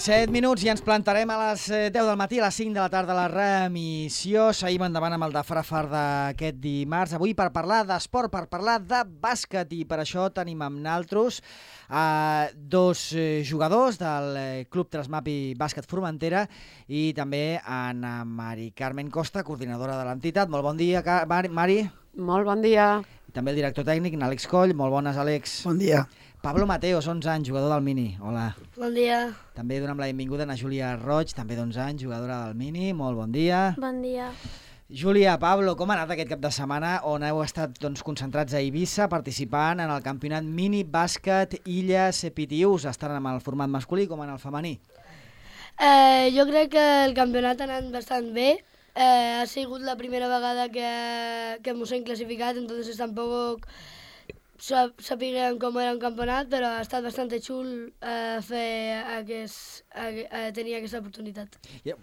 7 minuts i ens plantarem a les 10 del matí, a les 5 de la tarda la remissió. Seguim endavant amb el de Frafar d'aquest dimarts. Avui per parlar d'esport, per parlar de bàsquet, i per això tenim amb naltros dos jugadors del Club Trasmapi Bàsquet Formentera i també Anna Mari Carmen Costa, coordinadora de l'entitat. Molt bon dia, Mari. Molt bon dia. I també el director tècnic, Àlex Coll. Molt bones, Àlex. Bon dia. Pablo Mateos, 11 anys, jugador del Mini. Hola. Bon dia. També donem la benvinguda a Júlia Roig, també d'11 anys, jugadora del Mini. Molt bon dia. Bon dia. Júlia, Pablo, com ha anat aquest cap de setmana on heu estat concentrats a Eivissa participant en el campionat Mini Bàsquet Illes PTUs, estan en el format masculí com en el femení? Jo crec que el campionat ha anat bastant bé. Ha sigut la primera vegada que ens hem classificat, entonces tampoc sapiguem com era un campionat, però ha estat bastant xul tenir aquesta oportunitat.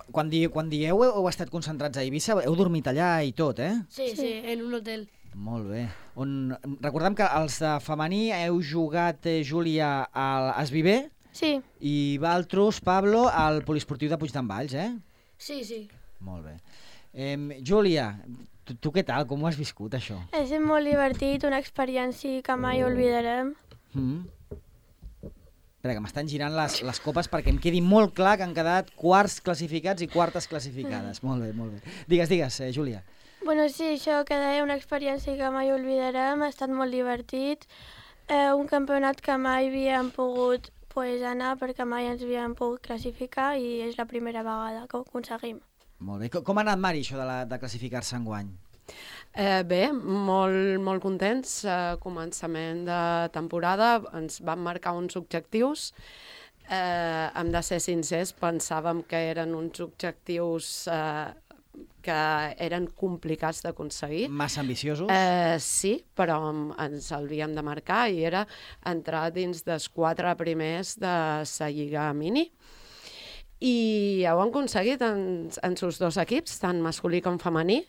Quan dieu heu estat concentrats a Eivissa, heu dormit allà i tot, eh? Sí, en un hotel. Molt bé. Recordem que els de femení heu jugat, Júlia, al Esviver. Sí. I Valtros, Pablo, al poliesportiu de Puig d'en Valls, eh? Sí. Molt bé. Júlia, tu què tal? Com ho has viscut, això? Ha estat molt divertit, una experiència que mai oblidarem. Espera, que m'estan girant les copes perquè em quedi molt clar que han quedat quarts classificats i quartes classificades. Molt bé. Digues, Júlia. Bueno, sí, això que deia una experiència que mai oblidarem, ha estat molt divertit. Un campionat que mai havíem pogut anar perquè mai ens havíem pogut classificar i és la primera vegada que ho aconseguim. Molt bé. Com ha anat, Mari, això de classificar-se enguany? Bé, molt contents. Començament de temporada ens van marcar uns objectius. Hem de ser sincers, pensàvem que eren uns objectius que eren complicats d'aconseguir. Massa ambiciosos? Sí, però ens havíem de marcar i era entrar dins dels 4 primers de la Lliga Mini. I ho han aconseguit en els dos equips, tant masculí com femení.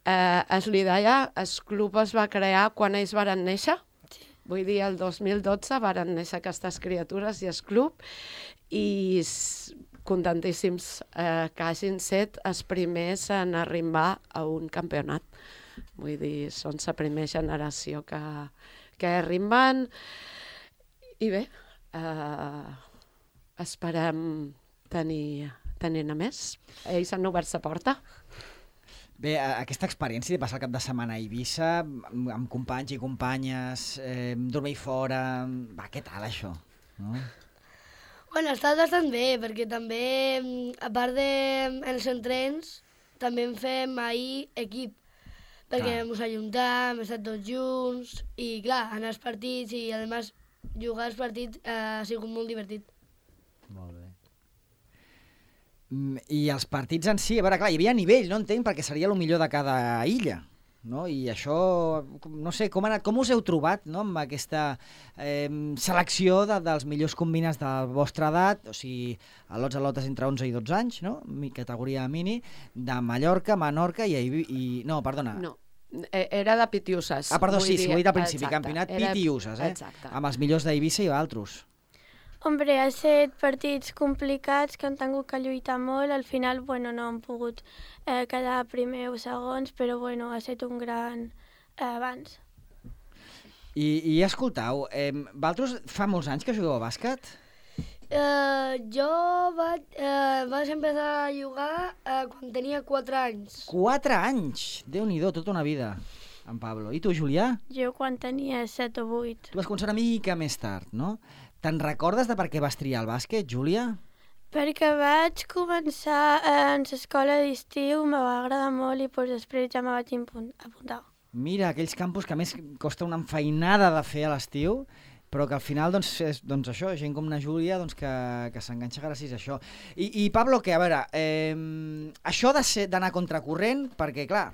Es li deia, el club es va crear quan ells varen néixer. Vull dir, el 2012 varen néixer aquestes criatures i el club, i contentíssims que hagin set els primers en arribar a un campionat. Vull dir, són la primera generació que arriben, i bé, esperem tenir-ne més. Ells han obert la porta. Bé, aquesta experiència de passar el cap de setmana a Eivissa, amb companys i companyes, dormir fora... què tal, això? No? Bueno, ha estat bastant bé, perquè també, a part dels entrens, també en fem ahir equip, perquè ens ajuntam, hem estat tots junts, i clar, anar als partits i, a més, jugar als partits ha sigut molt divertit. Molt bé. I els partits en si, a veure, clar, hi havia nivell, no entenc, perquè seria el millor de cada illa, no? I això, no sé, com us heu trobat, no?, amb aquesta selecció dels millors combines de la vostra edat, o sigui, lotes entre 11 i 12 anys, no?, categoria mini, de Mallorca, Menorca i... No, perdona. No, era de Pitiuses. Perdó, sí, ho he dit al principi, campionat Pitiuses, Exacte. Amb els millors d'Eivissa i d'altres. Hombre, ha estat partits complicats que han tingut que lluitar molt. Al final, bueno, no han pogut quedar primer o segons, però bueno, ha estat un gran avanç. I escoltau, vosaltres fa molts anys que jugueu a bàsquet? Jo vaig empezar a jugar quan tenia 4 anys. 4 anys? Déu-n'hi-do, tota una vida, en Pablo. I tu, Julià? Jo quan tenia 7 o 8. Tu vas començar una mica més tard, no? Te'n recordes de per què vas triar el bàsquet, Júlia? Perquè vaig començar en l'escola d'estiu, me va agradar molt i després ja me vaig apuntar. Mira, aquells campus que a més costa una enfeinada de fer a l'estiu, però que al final, és això, gent com na Júlia que s'enganxa gràcies a això. I Pablo, que a veure, això d'anar contracorrent, perquè clar,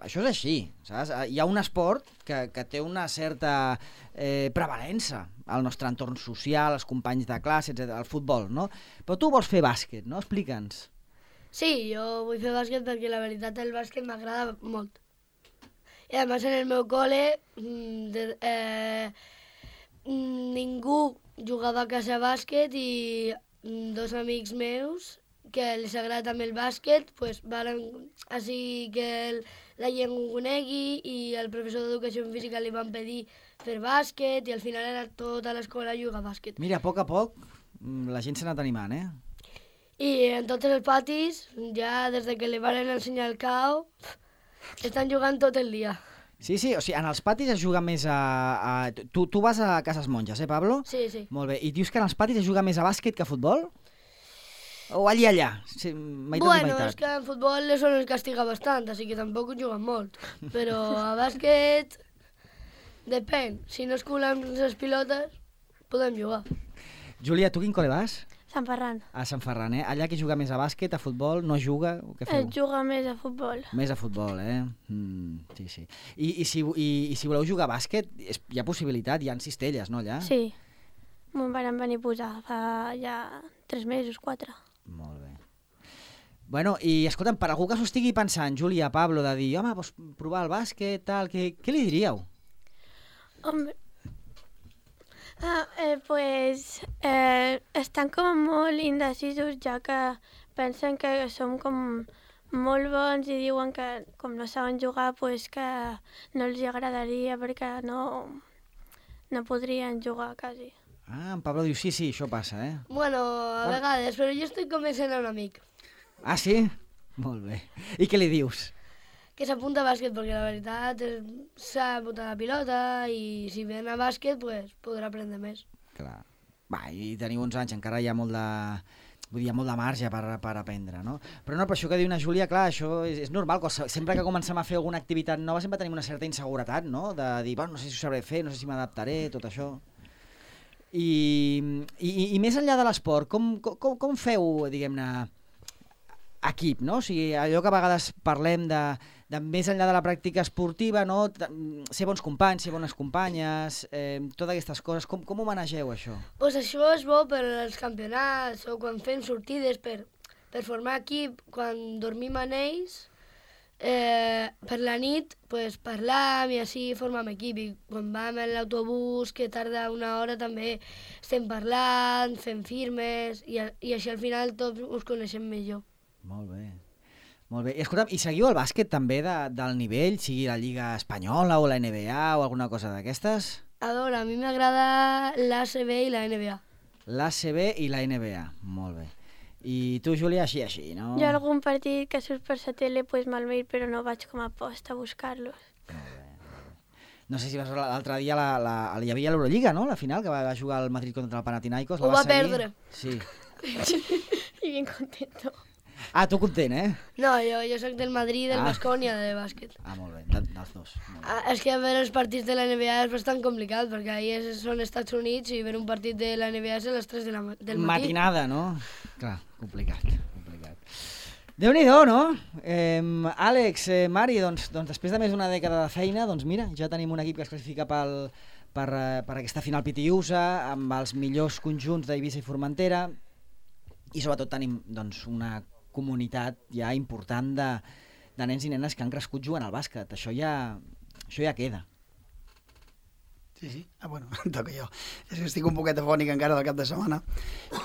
això és així, saps? Hi ha un esport que té una certa prevalença al nostre entorn social, els companys de classe, etc., el futbol, no? Però tu vols fer bàsquet, no? Explica'ns. Sí, jo vull fer bàsquet perquè la veritat el bàsquet m'agrada molt. I a més en el meu col·le ningú jugava a casa a bàsquet i dos amics meus que els agrada també el bàsquet, pues, varen així que la gent ho conegui i el professor d'educació física li van pedir fer bàsquet i al final era tota l'escola jugar a bàsquet. Mira, a poc la gent s'ha anat animant, eh? I en tots els patis, ja des de que li van ensenyar el CAO, estan jugant tot el dia. Sí, o sigui, en els patis es juga més a... Tu vas a Cases Monges, Pablo? Sí. Molt bé. I dius que en els patis es juga més a bàsquet que a futbol? O allà? Sí, meitat. És que en futbol eso nos castiga bastant, així que tampoc ho juguen molt. Però a bàsquet, depèn. Si no es culen les pilotes, podem jugar. Júlia, tu quin col·le vas? Sant Ferran. A Sant Ferran, eh? Allà qui juga més a bàsquet, a futbol, no juga? O què feu? Juga més a futbol. Més a futbol, eh? Sí. I si voleu jugar a bàsquet, hi ha possibilitat, hi ha cistelles, no, allà? Sí. M'ho van venir a posar fa ja 3 mesos, 4. Molt bé. Bueno, i escolta'm, per algú que s'ho estigui pensant, Júlia, Pablo, de dir, home, vols provar el bàsquet, tal, què li diríeu? Hombre, estan com molt indecisos, ja que pensen que som com molt bons i diuen que com no saben jugar, pues que no els agradaria perquè no podrien jugar quasi. Ah, en Pablo diu, sí, això passa, eh? Bueno, a vegades, però jo estic convencent a un amic. Ah, sí? Molt bé. I què li dius? Que s'apunta a bàsquet, perquè la veritat s'ha apuntat la pilota i si ven a bàsquet, pues, podrà aprendre més. Clar. Va, i teniu uns anys, encara hi ha molt de... Vull dir, hi ha molt de marge per aprendre, no? Però no, per això que diu una Júlia, clar, això és normal, sempre que comencem a fer alguna activitat nova sempre tenim una certa inseguretat, no? De dir, bueno, no sé si ho sabré fer, no sé si m'adaptaré, tot això. I més enllà de l'esport, com feu, diguem-ne, equip, no? O sigui, allò que a vegades parlem de més enllà de la pràctica esportiva, no? Ser bons companys, ser bones companyes, totes aquestes coses, com ho manegeu, això? Pues això és bo per als campionats o quan fem sortides per formar equip, quan dormim en ells, per la nit pues, parlam i així formem equip. I quan vam en l'autobús, que tarda una hora, també estem parlant, fem firmes i així al final tots us coneixem millor. Molt bé. Molt bé. I escolta'm, i seguiu el bàsquet també del nivell, sigui la Lliga Espanyola o la NBA o alguna cosa d'aquestes? A veure, a mi m'agrada l'ACB i la NBA. L'ACB i la NBA, molt bé. I tu, Júlia, així, no? Jo algun partit que surt per la tele pues, me'l veig, però no vaig com a post a buscar-los. Molt bé. No sé si vas l'altre dia hi havia l'Eurolliga, no? La final, que va jugar el Madrid contra el Panathinaikos. Ho va perdre. Sí. I bien contento. Ah, tu content, eh? No, jo soc del Madrid i del Baskonia de bàsquet. Ah, molt bé, dels dos. És que veure els partits de la NBA és bastant complicat, perquè ahir són Estats Units i veure un partit de la NBA és a les 3 del matí. Matinada, no? Clar, complicat. Déu-n'hi-do, no? Àlex, Mari, doncs després de més d'una dècada de feina, doncs mira, ja tenim un equip que es classifica per aquesta final Pitiusa, amb els millors conjunts d'Eivissa i Formentera, i sobretot tenim doncs, una comunitat ja important de nens i nenes que han crescut jugant al bàsquet. Això ja queda. Sí. Ah, bueno, em toca jo. És que estic un poquet afònic encara del cap de setmana,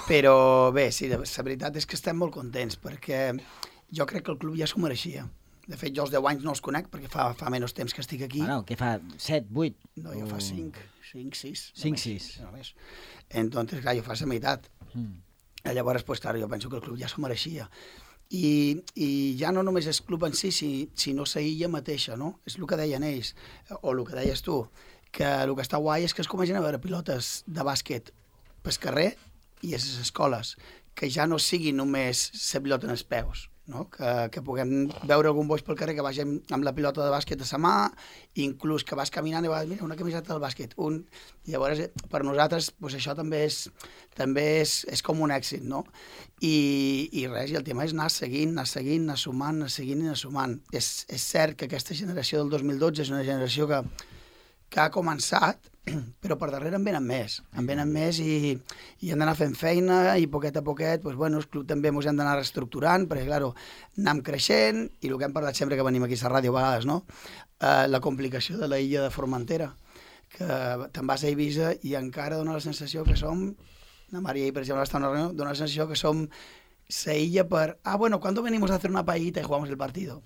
però bé, sí, la veritat és que estem molt contents, perquè jo crec que el club ja s'ho mereixia. De fet, jo els 10 anys no els conec, perquè fa menys temps que estic aquí. Bueno, què fa? 7, 8? No, jo fa 5, 6. 5-6. Només. Entonces, clar, jo fa la meitat. Llavors, pues, clar, jo penso que el club ja s'ho mereixia. I ja no només és club en si, sinó la illa mateixa, no? És el que deien ells, o el que deies tu, que el que està guai és que es comencen a veure pilotes de bàsquet pel carrer i a les escoles, que ja no sigui només la pilota en els peus, no? Que puguem veure algun boix pel carrer que vagi amb la pilota de bàsquet a la mà, inclús que vas caminant i vas, mira, una camiseta del bàsquet, i llavors per nosaltres pues, això també és com un èxit, no? I res, i el tema és anar seguint, anar sumant. És cert que aquesta generació del 2012 és una generació que ha començat, però per darrere en venen més i hem d'anar fent feina i poquet a poquet, pues, bueno, el club també ens hem d'anar reestructurant, perquè, clar, anem creixent i el que hem parlat sempre que venim aquí a la ràdio a vegades, no? La complicació de la illa de Formentera, que te'n vas a Eivissa i encara dona la sensació que som La María, per exemple, està en una reunió, dona la sensació que som la illa per... bueno, ¿cuándo venimos a hacer una paellita y jugamos el partido?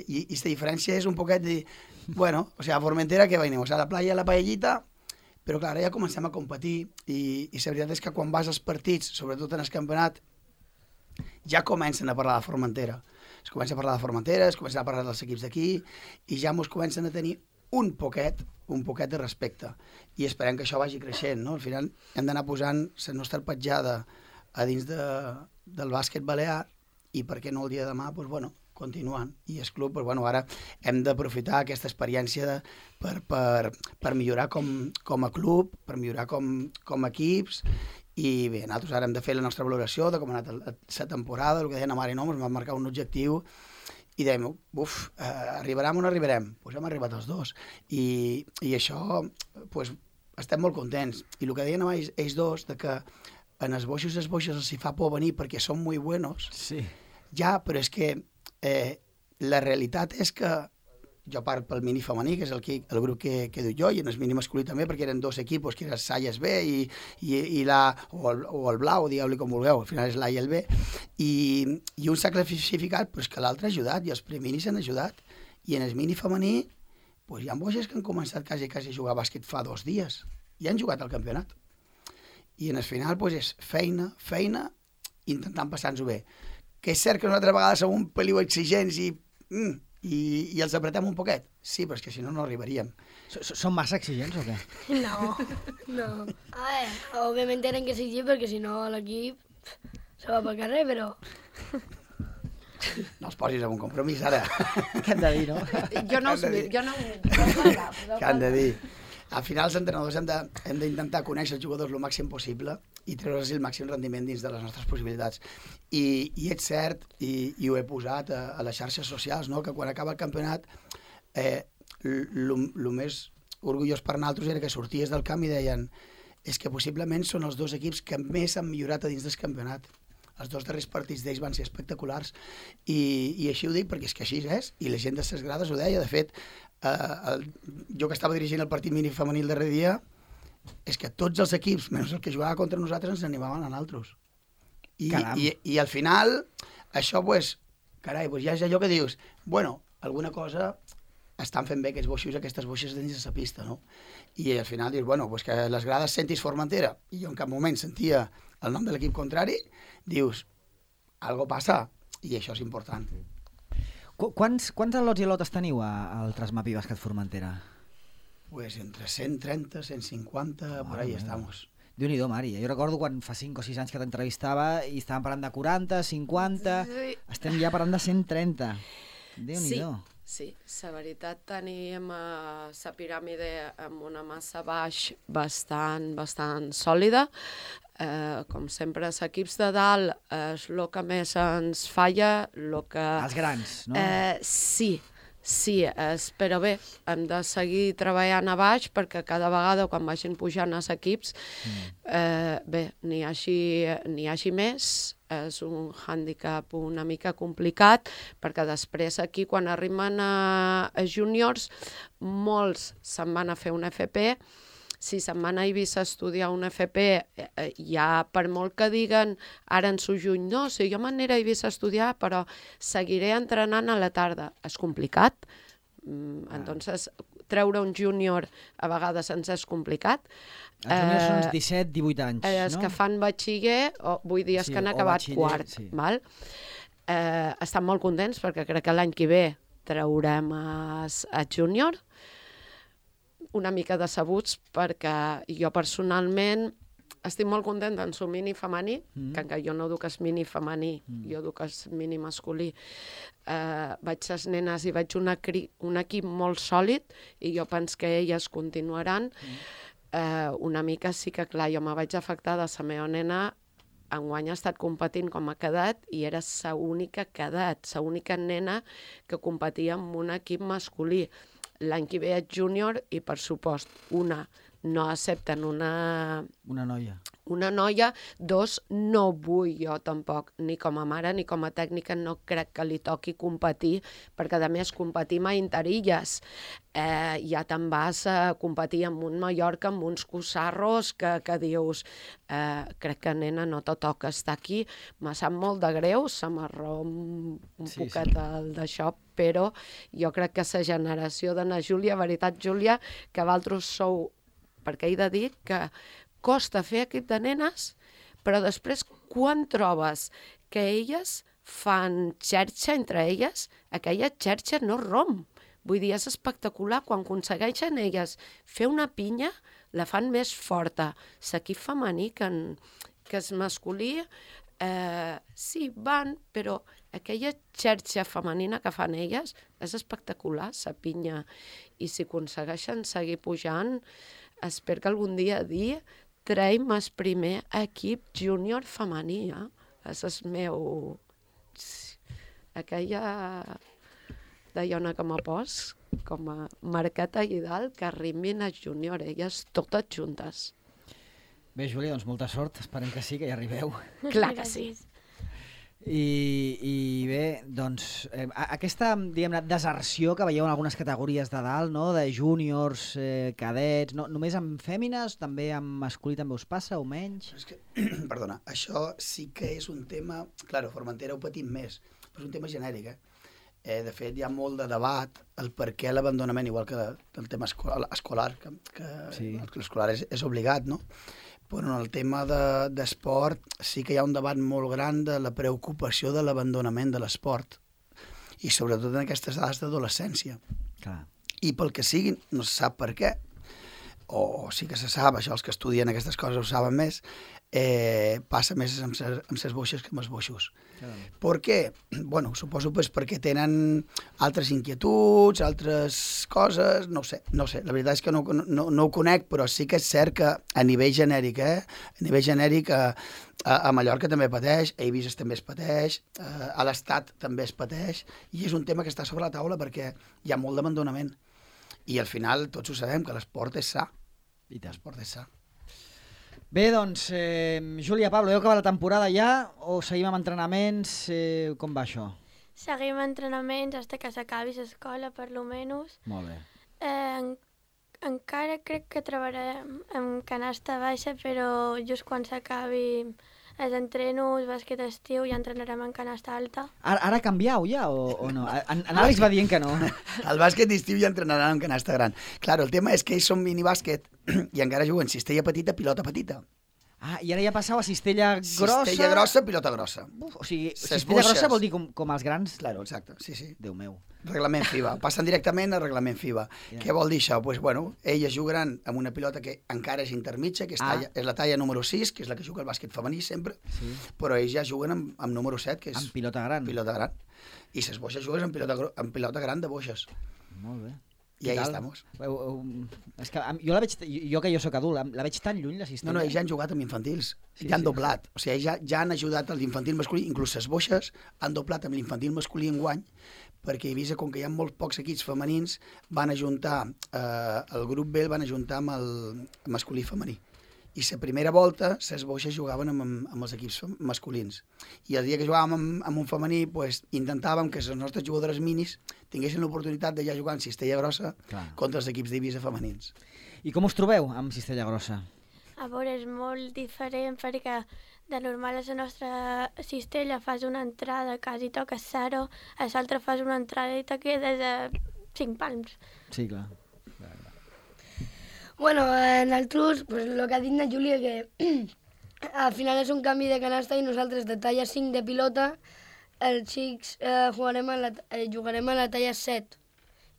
Y esta diferència és un poquet de... Bueno, o sea, a Formentera que venimos a la playa, a la paellita, però clar, ja comencem a competir i la veritat és que quan vas als partits, sobretot en el campionat, ja comencen a parlar de Formentera. Es comença a parlar de Formentera, es comença a parlar dels equips d'aquí i ja ens comencen a tenir un poquet de respecte. I esperem que això vagi creixent, no? Al final hem d'anar posant la nostra petjada a dins del bàsquet balear i per què no el dia de demà, doncs, bueno, continuant. I el club, doncs, bueno, ara hem d'aprofitar aquesta experiència per millorar com a club, per millorar com a equips, i bé, nosaltres ara hem de fer la nostra valoració de com ha anat la temporada, el que deien a Mari, no? Ens vam marcar un objectiu i dèiem, arribarem o no arribarem? Doncs hem arribat els dos. I això, doncs, estem molt contents. I el que deien ells dos, de que en els boixos els hi fa por venir perquè són molt buenos, sí. Ja, però és que la realitat és que jo parlo pel mini femení, que és el grup que duc jo, i en el mini masculí també, perquè eren dos equipos, que era Salles B o el blau, digueu-li com vulgueu, al final és l'A i el B, i un s'ha classificat, però és que l'altre ha ajudat, i els preminis han ajudat, i en el mini femení hi ha boixes que han començat quasi a jugar a bàsquet fa 2 dies, i han jugat al campionat. I en el final és feina, intentant passar-nos-ho bé. Que és cert que nosaltres a vegades som un peliu exigents i els apretem un poquet. Sí, però és que si no, no arribaríem. Són massa exigents o què? No. A ver, obviamente tienen que exigir porque si no l'equip se va pel carrer, però... No els posis en un compromís, ara. Què han de dir, no? Jo no... Què han de dir? Al final, els entrenadors hem d'intentar conèixer els jugadors el màxim possible i treure'ls el màxim rendiment dins de les nostres possibilitats. I és cert, i ho he posat a les xarxes socials, no? Que quan acaba el campionat, el més orgullós per nosaltres era que sorties del camp i deien és que possiblement són els 2 equips que més han millorat a dins del campionat. Els 2 darrers partits d'ells van ser espectaculars i així ho dic perquè és que així és, i la gent de les grades ho deia. De fet, jo que estava dirigint el partit mini femení el darrer dia, és que tots els equips, menys el que jugava contra nosaltres, ens animaven a nosaltres. I al final, això, carai, ja és allò que dius, bueno, alguna cosa estan fent bé aquestes boixes dins de la pista, no? I al final dius, bueno, que les grades sentis Formentera, i jo en cap moment sentia el nom de l'equip contrari, dius, algo passa, i això és important. Quants al·lots i al·lotes teniu al Trasmapi Bàsquet Formentera? Pues entre 130, 150, por ahí estamos. Déu-n'hi-do, Mari. Jo recordo quan fa 5 o 6 anys que t'entrevistava i estàvem parlant de 40, 50... Estem ja parlant de 130. Déu-n'hi-do. Sí, la veritat tenim la piràmide amb una massa baix bastant sòlida. Com sempre, els equips de dalt és el que més ens falla. Els grans, no? Sí, però bé, hem de seguir treballant a baix perquè cada vegada quan vagin pujant els equips, n'hi hagi més. És un hàndicap una mica complicat perquè després aquí quan arriben a juniors molts se'n van a fer un FP. Si se'n van a Eivissa a estudiar un FP, ja per molt que diguen ara en su juny, no, si jo m'aniré a Eivissa a estudiar però seguiré entrenant a la tarda. És complicat, entonces treure un júnior a vegades ens és complicat. Els júniors són 17-18 anys, no? Els que fan batxiller, vull dir, els que han acabat quart. Val? Estan molt contents perquè crec que l'any que ve traurem a júnior, una mica decebuts perquè jo personalment estic molt contenta en el mini femení, que jo no duc el mini femení, jo duc el mini masculí. Vaig les nenes i vaig un equip molt sòlid i jo penso que elles continuaran. Una mica sí que, clar, jo me vaig afectar de la meva nena. Enguany ha estat competint com a cadet i era l'única cadet, l'única nena que competia amb un equip masculí. L'any que ve és júnior i, per supost, una no accepten una noia. 2, no vull jo tampoc, ni com a mare ni com a tècnica, no crec que li toqui competir, perquè a més competim a Interilles. Ja te'n vas a competir amb un Mallorca, amb uns cossarros que dius, crec que nena no te toca estar aquí, me sap molt de greu, se m'arrom un poquet d'això, però jo crec que la generació d'Anna Júlia, veritat Júlia, que vosaltres sou, perquè he de dir que costa fer equip de nenes, però després quan trobes que elles fan xerxa entre elles, aquella xerxa no romp. Vull dir, és espectacular. Quan aconsegueixen elles fer una pinya, la fan més forta. L'equip femení, que és masculí, sí, van, però aquella xerxa femenina que fan elles és espectacular, la pinya. I si aconsegueixen seguir pujant, espero que algun dia dir traiem el primer equip júnior femení, És el meu... Aquella dona que m'ha pos, com a marqueta i dalt, que arribin a júnior, elles totes juntes. Bé, Júlia, doncs molta sort, esperem que sí, que hi arribeu. Clar que sí. I bé, doncs, aquesta, diguem-ne, deserció que veieu en algunes categories de dalt, no?, de júniors, cadets, no, només amb fèmines, també amb masculí també us passa, o menys? És que, perdona, això sí que és un tema... Claro, Formentera ho patim més, però és un tema genèric, De fet, hi ha molt de debat el per què l'abandonament, igual que el tema escolar, que sí. L'escolar és obligat, no? Però en el tema d'esport sí que hi ha un debat molt gran de la preocupació de l'abandonament de l'esport, i sobretot en aquestes edats d'adolescència. I pel que sigui, no se sap per què, o sí que se sap, això els que estudien aquestes coses ho saben més, passa més amb les boixes que amb els boixos. Per què? Bueno, suposo perquè tenen altres inquietuds, altres coses, no ho sé. La veritat és que no ho conec, però sí que és cert que a nivell genèric, a Mallorca també pateix, a Eivissa també es pateix, a l'Estat també es pateix, i és un tema que està sobre la taula perquè hi ha molt d'abandonament. I al final tots ho sabem, que l'esport és sa. I tant. L'esport és sa. Bé, doncs, Júlia, Pablo, heu acabat la temporada ja o seguim amb entrenaments? Com va això? Seguim entrenaments fins que s'acabi l'escola, per lo menys. Molt bé. Encara crec que treballarem amb canasta baixa, però just quan s'acabi els entrenos, bàsquet estiu, ja entrenarem en canasta alta. Ara canviau ja o no? En Àlex va dient que no. El bàsquet d'estiu ja entrenaran en canasta gran. Claro, el tema és que ells són minibàsquet i encara juguen cistella petita, pilota petita. I ara ja passau a cistella grossa... Cistella grossa, pilota grossa. O sigui, cistella grossa vol dir com els grans? Claro, exacte, sí. Déu meu. Reglament FIBA. Passen directament a reglament FIBA. Què vol dir això? Pues, bueno, elles jugaran amb una pilota que encara és intermitja, que és la talla número 6, que és la que juga el bàsquet femení sempre, però ells ja juguen amb número 7, que és... Amb pilota gran. Pilota gran. I les boixes juguen amb pilota gran de boixes. Molt bé. I ahí estamos. És que jo la veig, jo que jo soc adult, la veig tan lluny, la cistella. No, ells ja han jugat amb infantils, ja han doblat. O sigui, ja han ajudat a l'infantil masculí, inclús les boixes han doblat amb l'infantil masculí enguany, perquè he vist com que hi ha molt pocs equips femenins, van ajuntar, el grup B el van ajuntar amb el masculí femení. I la primera volta, les boixes jugaven amb els equips masculins. I el dia que jugàvem amb un femení, pues, intentàvem que les nostres jugadores minis tinguessin l'oportunitat de ja jugar en cistella grossa contra els equips d'Eivissa femenins. I com us trobeu amb cistella grossa? A veure, és molt diferent perquè de normal a la nostra cistella fas una entrada, quasi toques 0, a l'altra fas una entrada i te quedes a 5 palms. Sí, clar. Bueno, nosaltres, pues, el que ha dit la Júlia, que al final és un canvi de canasta i nosaltres de talla 5 de pilota, els xics jugarem a la talla 7.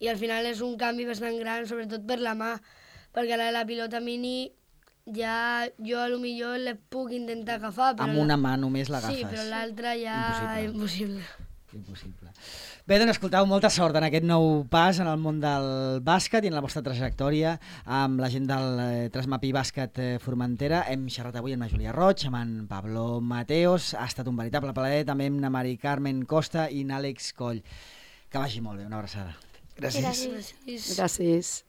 I al final és un canvi bastant gran, sobretot per la mà, perquè la pilota mini ja jo a lo millor la puc intentar agafar. Però amb una mà només l'agafes. Sí, però l'altra ja impossible. Bé, doncs escoltau, molta sort en aquest nou pas en el món del bàsquet i en la vostra trajectòria amb la gent del Trasmapí Bàsquet Formentera. Hem xerrat avui amb la Júlia Roig, amb en Pablo Mateos. Ha estat un veritable plaer, també amb la Mari Carmen Costa i l'Àlex Coll. Que vagi molt bé, una abraçada. Gràcies. Gràcies.